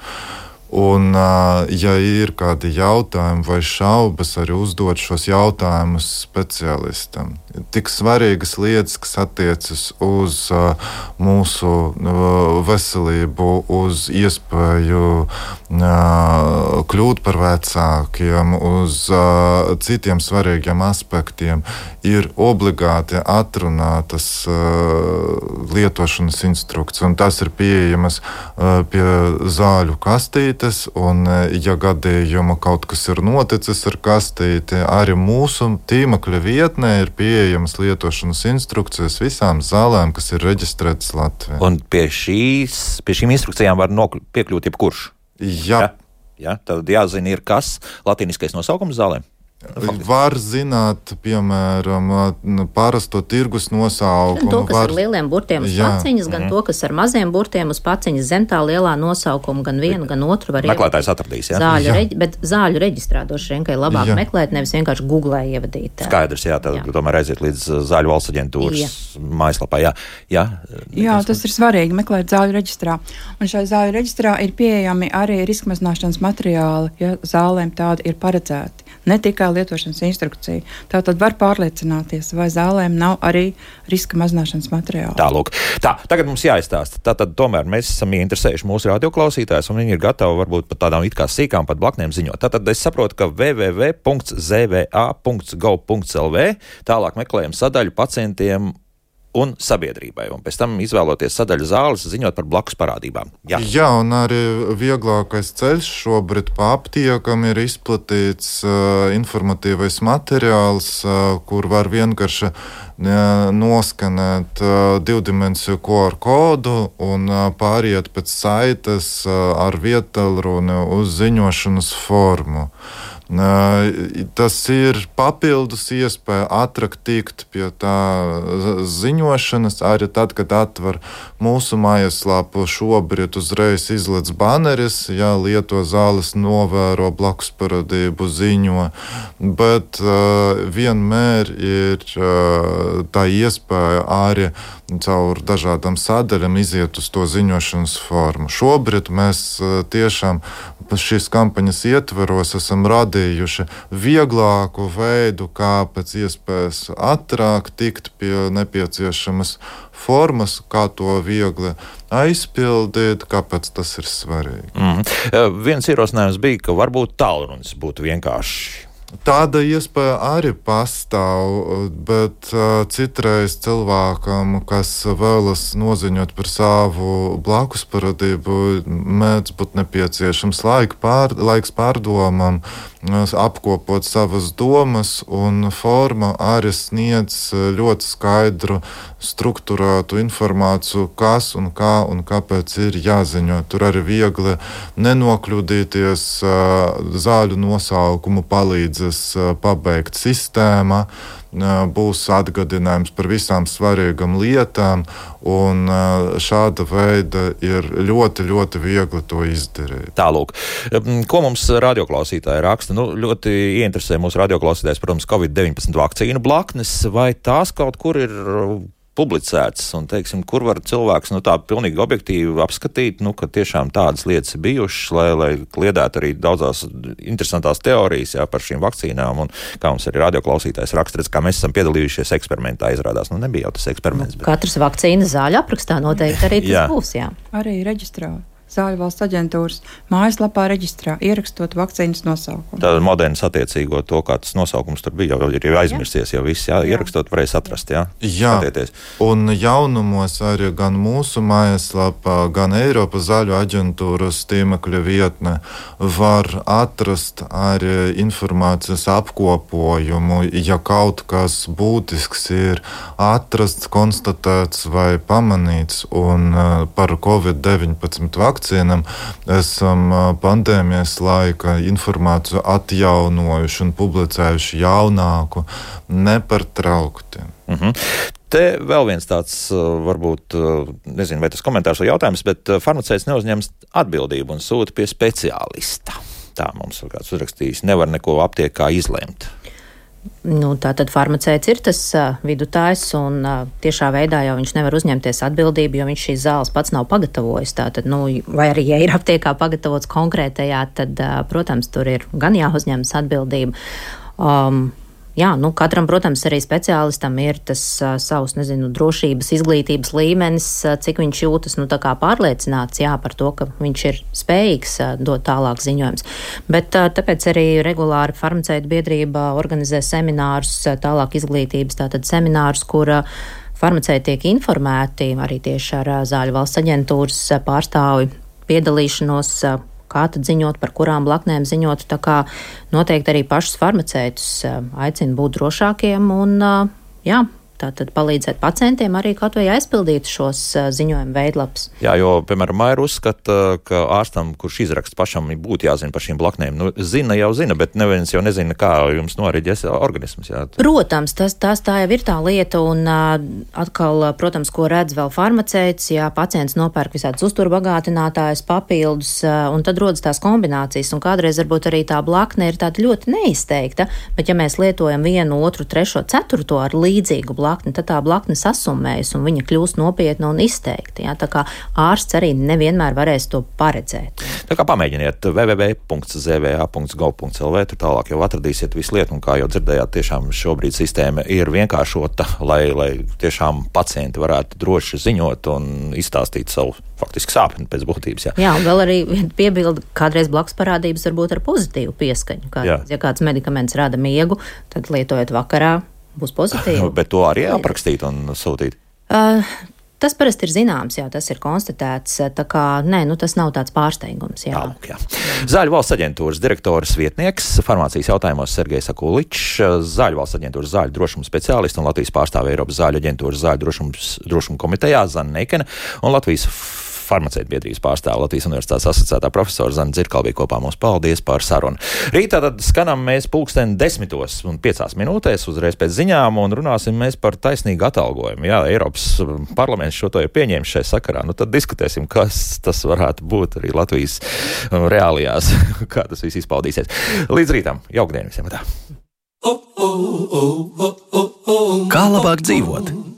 Un, ja ir kādi jautājumi vai šaubas, arī uzdot šos jautājumus speciālistam. Tik svarīgas lietas, kas attiecas uz uh, mūsu uh, veselību, uz iespēju uh, kļūt par vecākiem, uz uh, citiem svarīgiem aspektiem, ir obligāti atrunātas uh, lietošanas instrukcijas. Un tas ir pieejamas uh, pie zāļu kastītes, un, uh, ja gadījumā kaut kas ir noticis ar kastīti, arī mūsu tīmekļa vietnē ir pieejama pieejamas lietošanas instrukcijas visām zālēm, kas ir reģistrētas Latvijā. Un pie, šīs, pie šīm instrukcijām var nokļūt, piekļūt jebkurš? Jā. Ja? Ja? Tad jāzina ir kas latīniskais nosaukums zālēm? Var zināt, piemēram, parasto tirgus nosaukumu. Gan to, kas var... ar lieliem burtiem uz jā. Paciņas, gan mm. to, kas ar maziem burtiem uz paciņas zem tā lielā nosaukuma, gan vienu, gan otru var meklētājs atradīs, jā? Zāļu reģi... Bet zāļu reģistrādoši vien, ka ir labāk jā. Meklēt, nevis vienkārši googlē ievadīt. Skaidrs, jā, tad jā. Tomēr aiziet līdz Zāļu valsts aģentūras mājaslapā, jā. Jā, jā, tas ir svarīgi meklēt zāļu reģistrā. Un šai zāļu reģistrā ir pieejami arī riska mazināšanas materiāli, ja zālēm tādi ir paredzēti. Ne tikai lietošanas instrukcija. Tātad var pārliecināties, vai zālēm nav arī riska mazināšanas materiāli. Tā, lūk. Tā, tagad mums jāizstāsta. Tātad tomēr mēs esam ieinteresējuši mūsu radioklausītājus, un viņi ir gatavi varbūt pat tādām it kā sīkām pat blaknēm ziņot. Tātad es saprotu, ka w w w punkts z v a punkts gov punkts l v tālāk meklējam sadaļu pacientiem un sabiedrībai, un pēc tam izvēloties sadaļu zāles, ziņot par blakus parādībām. Jā, Jā un arī vieglākais ceļš šobrīd pa aptiekam ir izplatīts uh, informatīvais materiāls, uh, kur var vienkārši uh, noskanēt uh, divdimensiju Q R kodu un uh, pāriet pēc saites uh, ar vietālruni uz ziņošanas formu. Tas ir papildus iespēja ātrāk tikt pie tā ziņošanas. Arī tad, kad atver mūsu mājaslapu, šobrīd uzreiz izlec baneris, ja lieto zāles novēro blakus parādību ziņo, bet uh, vienmēr ir uh, tā iespēja arī caur dažādām sadaļām iziet uz to ziņošanas formu. Šobrīd mēs uh, tiešām šīs kampaņas ietveros esam radījuši vieglāku veidu, kā pēc iespējas ātrāk tikt pie nepieciešamas formas, kā to viegli aizpildīt, kāpēc tas ir svarīgi. Mm. Viens ierosinājums bija, ka varbūt tālrunis būtu vienkārši. Tāda iespēja arī pastāv, bet uh, citreiz cilvēkam, kas vēlas noziņot par savu blakus parādību, mēdz būt nepieciešams laika pār, laiks pārdomam, apkopot savas domas, un forma arī sniedz ļoti skaidru, strukturētu informāciju, kas un kā un kāpēc ir jāziņo. Tur arī viegli nenokļūdīties, zāļu nosaukumu palīdzēs pabeigt sistēma, būs atgādinājums par visām svarīgām lietām, un šāda veida ir ļoti, ļoti viegli to izdarīt. Tālūk, ko mums radioklausītāji raksta? Nu, ļoti ieinteresē mūsu radioklausītājs, protams, covid deviņpadsmit vakcīnu blaknes, vai tās kaut kur ir publicēts, un, teiksim, kur var cilvēks, nu, tā pilnīgi objektīvi apskatīt, nu, ka tiešām tādas lietas ir bijušas, lai, lai kliedētu arī daudzās interesantās teorijas, jā, par šīm vakcīnām, un kā mums arī radioklausītājs raksta, redz, kā mēs esam piedalījušies eksperimentā, izrādās, nu, nebija jau tas eksperiments. Bet... Katras vakcīnas zāļu aprakstā noteikti arī tas jā. būs, jā. Arī reģistrā. Zāļu valsts aģentūras mājaslapā reģistrā, ierakstot vakcīnas nosaukumu. Tāda modernas attiecīgo to, kā tas nosaukums tur bija, jau ir jau aizmirsties, jau viss, jā, jā. Ierakstot varēs atrast, jā. Jā, Satieties. Un jaunumos arī gan mūsu mājaslapā, gan Eiropas zāļu aģentūras tīmekļa vietne var atrast arī informācijas apkopojumu, ja kaut kas būtisks ir atrasts, konstatēts vai pamanīts, un par covid deviņpadsmit vakcīnu vakcīnām esam pandēmijas laika informāciju atjaunojuši un publicējuši jaunāku nepārtraukti. Mhm. Te vēl viens tāds, varbūt, nezinu, vai tas komentārs vai jautājums, bet farmaceits neuzņems atbildību un sūta pie speciālista. Tā mums kāds uzrakstījis, nevar neko aptiekā izlemt. Nu, tātad farmaceits ir tas uh, vidutājs, un uh, tiešā veidā jau viņš nevar uzņemties atbildību, jo viņš šīs zāles pats nav pagatavojis. Tātad, nu, vai arī, ja ir aptiekā pagatavots konkrētajā, tad, uh, protams, tur ir gan jāuzņemas atbildība. Um, Jā, nu, katram, protams, arī speciālistam ir tas uh, savs, nezinu, drošības, izglītības līmenis, uh, cik viņš jūtas, nu, tā kā pārliecināts, jā, par to, ka viņš ir spējīgs uh, dot tālāk ziņojums. Bet uh, tāpēc arī regulāri farmaceitu biedrība organizē seminārus, uh, tālāk izglītības, tātad seminārus, kur uh, farmaceiti tiek informēti, arī tieši ar uh, Zāļu valsts aģentūras uh, pārstāvi piedalīšanos, uh, kā tad ziņot, par kurām blaknēm ziņot, tā kā noteikti arī pašus farmaceitus aicina būt drošākiem un, jā, tātad palīdzēt pacientiem arī kaut vai aizpildīt šos ziņojumu veidlaps. Jā, jo, piemēram, Maira uzskata, ka ārstam, kurš izraksta pašam, būtu jāzina par šīm blaknēm. Nu, zina jau zina, bet neviens jau nezina, kā jums noriģēs organisms. Jā. Protams, tas, tas tā jau ir tā lieta, un atkal, protams, ko redz vēl farmaceits, ja pacients nopērk visādus uzturbagātinātājus, papildus, un tad rodas tās kombinācijas, un kādreiz varbūt arī tā blakne ir tāda ļoti neizteikta, bet ja mēs lietojam vienu, otru, trešo, ceturto ar līdzīgu blakni, tad tā blakne sasummējas un viņa kļūst nopietna un izteikta. Ja? Tā kā ārsts arī nevienmēr varēs to paredzēt. Ja? Tā kā pamēģiniet w w w punkts z v a punkts gov punkts l v, tur tālāk jau atradīsiet visu lietu, un kā jau dzirdējāt, tiešām šobrīd sistēma ir vienkāršota, lai, lai tiešām pacienti varētu droši ziņot un izstāstīt savu faktiski sāpeni pēc būtības. Jā, jā un vēl arī piebilda, kādreiz blakus parādības var būt ar pozitīvu pieskaņu. Kā, ja kāds medikaments rada miegu, tad lietojot vakarā, būs pozitīvi. Bet to arī aprakstīt un sūtīt? Uh, tas parasti ir zināms, jā, tas ir konstatēts, tā kā, nē, nu tas nav tāds pārsteigums, jā. Tālāk, jā. Zāļu valsts aģentūras direktoras vietnieks, farmācijas jautājumos Sergejs Akuličs, Zāļu valsts aģentūras zāļu drošuma speciālists un Latvijas pārstāve Eiropas zāļu aģentūras zāļu drošums, drošuma komitejā Zana Neikene un Latvijas farmaceitu biedrības pārstāve Latvijas Universitātes asociētā profesora Zana Dzirkala bija kopā mums. Paldies par sarunu. Rītā tad skanam mēs pulksten desmitos un piecās minūtēs uzreiz pēc ziņām un runāsim mēs par taisnīgu atalgojumu. Jā, Eiropas parlaments šo to ir pieņēmis šai sakarā. Nu tad diskutēsim, kas tas varētu būt arī Latvijas reālijās, kā tas viss izpaudīsies. Līdz rītam. Jauktdien visiem. Tā. Kā labāk dzīvot?